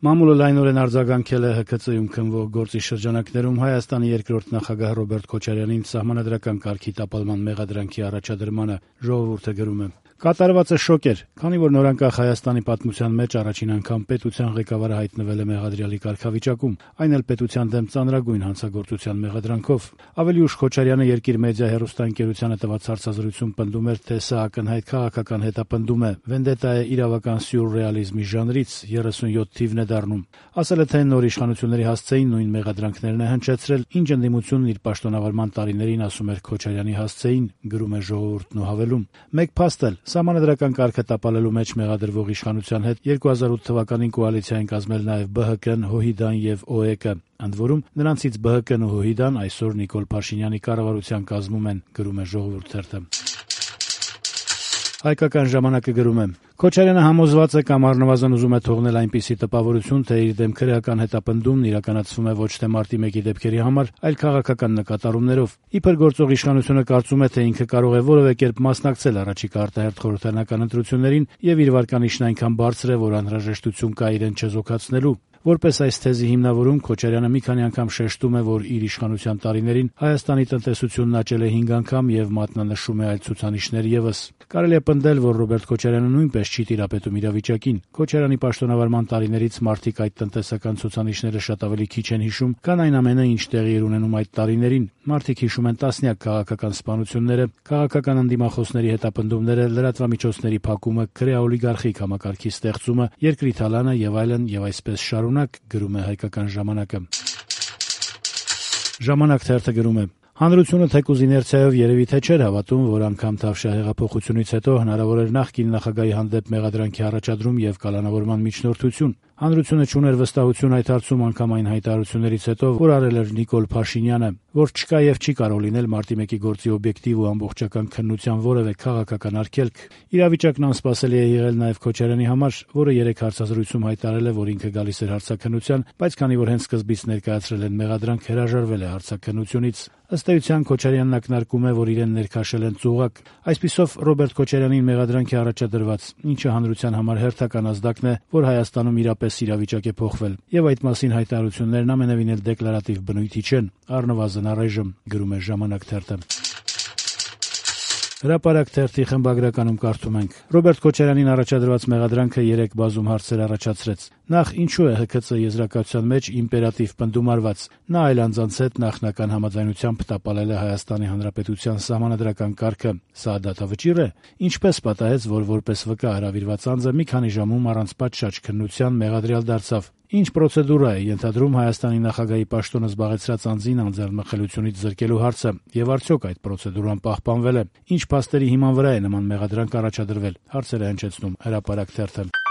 Մամուլը լայնորեն արձագանքել է ՀՔԾ-ում քննվող գործի շրջանակներում Հայաստանի երկրորդ նախագահ Ռոբերտ Քոչարյանին սահմանադրական կարգի տապալման մեղադրանքի առաջադրմանը։ Ժողովուրդը գրում է. «Կատարվածը շոկ էր, քանի որ նորանկախ Հայաստանի պատմության մեջ առաջին անգամ պետության ղեկավարը հայտնվել է մեղադրյալի կարգավիճակում, այն էլ պետության դեմ ծանրագույն հանցագործության մեղադրանքով։ Ավելի ուշ Քոչարյանը Երկիր մեդիա հեռուստաընկերությանը տված հարցազրույցում պնդում էր, թե սա ակնհայտ քաղաքական հետապնդում է, վենդետա է իրավական սյուրռեալիզմի ժանրից, 37 թիվն է դառնում։ Ասել է, թե նոր իշխանությունների հասցեին նույն մեղադրանքներն է հնչեցրել, ինչ ընդդիմությունն իր պաշտոնավարման տարիներին ասում էր Քոչարյանի հասցեին», գրում է Ժողովուրդն ու հավելում. «Մեկ փաստ էլ, սահմանադրական կարգը տապալելու մեջ մեղադրվող իշխանության հետ 2008 թվականին կոալիցիա են կազմել նաև ԲՀԿ-ն, ՀՅԴ-ն եւ ՕԵԿ-ը, ընդ որում նրանցից ԲՀԿ-ն ու ՀՅԴ-ն այսօր Նիկոլ Փաշինյանի կառավարության կազմում են», գրում է Ժողովուրդ թերթը։ Հայկական ժամանակը գրում է. «Քոչարյանը համոզված է կամ առնվազն ուզում է թողնել այնպիսի տպավորություն, թե իր դեմ քրեական հետապնդումն իրականացվում է ոչ թե մարտի 1-ի դեպքերի համար, այլ քաղաքական նկատառումներով։ Իբր գործող իշխանությունը կարծում է, թե ինքը կարող է որևէ կերպ մասնակցել առաջիկա արտահերթ խորհրդարանական ընտրություններին եւ իր վարկանիշն այնքան բարձր է, որ անհրաժեշտություն կա իրեն չեզոքացնելու։ Որպես այս թեզի հիմնավորում Քոչարյանը մի քանի անգամ շեշտում է, որ իր իշխանության տարիներին Հայաստանի տնտեսությունն աճել է 5 անգամ եւ մատնանշում է այլ ցուցանիշներ եւս։ Կարելի է պնդել, որ Ռոբերտ Քոչարյանը նույնպես չի տիրապետում իրավիճակին։ Քոչարյանի պաշտոնավարման տարիներից մարդիկ այդ տնտեսական ցուցանիշները շատ ավելի քիչ են հիշում, քան այն ամենը, ինչ տեղի էր ունենում այդ տարիներին։ Մարդիկ հիշում են տասնյակ քաղաքական սպանությունները, քաղաքական ընդդիմախոսների հետապնդումները, լրատվամիջոցների փակումը, քրեաօլիգարխիկ համակարգի ստեղծումը, երկրի թալանը եւ այլն եւ այսպես շարունակ», գրում է Հայկական ժամանակը։ Ժամանակ թերթը գրում է. «Հանրությունը թեկուզ իներցիայով երևի թե չէր հավատում, որ անգամ Թավշյա հեղափոխությունից հետո հնարավոր էր նախկին նախագահի հանդեպ մեղադրանքի առաջադրում եւ կալանավորման միջնորդություն։ Հանրությունը չուներ վստահություն այդ հարցում անգամ այն հայտարարություններից հետո, որ արել էր Նիկոլ Փաշինյանը, որ չկա եւ չի կարող լինել մարտի 1-ի գործի օբյեկտիվ ու ամբողջական քննության որևէ քաղաքական արգելք։ Իրավիճակն անսպասելի է եղել նաեւ Քոչարյանի համար, որը 3 հարցազրույցում հայտարարել է, որ ինքը գալիս էր հարցաքննության, բայց քանի որ հենց սկզբից ներկայացրել են մեղադրանք, հրաժարվել է հարցաքննությունից։ Ըստ էության Քոչարյանն ակնարկում է, որ իրեն ներքաշել են ծուղակ։ Այսպիսով Ռոբերտ Քոչարյանին մեղադրանք է առաջադրված, ինչը հանրության համար հերթական ազդակն է, որ Հայաստանում իրապես իրավիճակ է փոխվել, եւ այդ մասին հայտարարություններն ամենևին էլ դեկլարատիվ բնույթի չեն, առնվազն առայժմ», գրում է Ժամանակ թերթը։ Հրապարակ թերթի խմբագրականում կարդում ենք. «Ռոբերտ Քոչարյանին առաջադրված մեղադրանքը 3 բազում հարցեր առաջացրեց։ Նախ, ինչու է ՀՔԾ եզրակացության մեջ իմպերատիվ պնդում արված։ Նա այլ անձանց հետ նախնական համաձայնությամբ տապալել է Հայաստանի Հանրապետության սահմանադրական կարգը։ Սա դատավճիռ է։ Ինչպես պատահեց, որ որպես վկա հրավիրված անձը մի քանի ժամում առանց պատշաճ քննության մեղադրյալ դարձավ։ Ինչ պրոցեդուրա է ենթադրում Հայաստանի նախագահի պաշտոնը զբաղեցրած անձին անձեռնմխելիությունից զրկելու հարցը, եւ արդյոք այդ պրոցեդուրան պահպանվել է։ Ինչ փաստերի հիման վրա է նման մեղադրանք առաջադրվել», հարցեր է հնչեցնում Հրապարակ թերթը։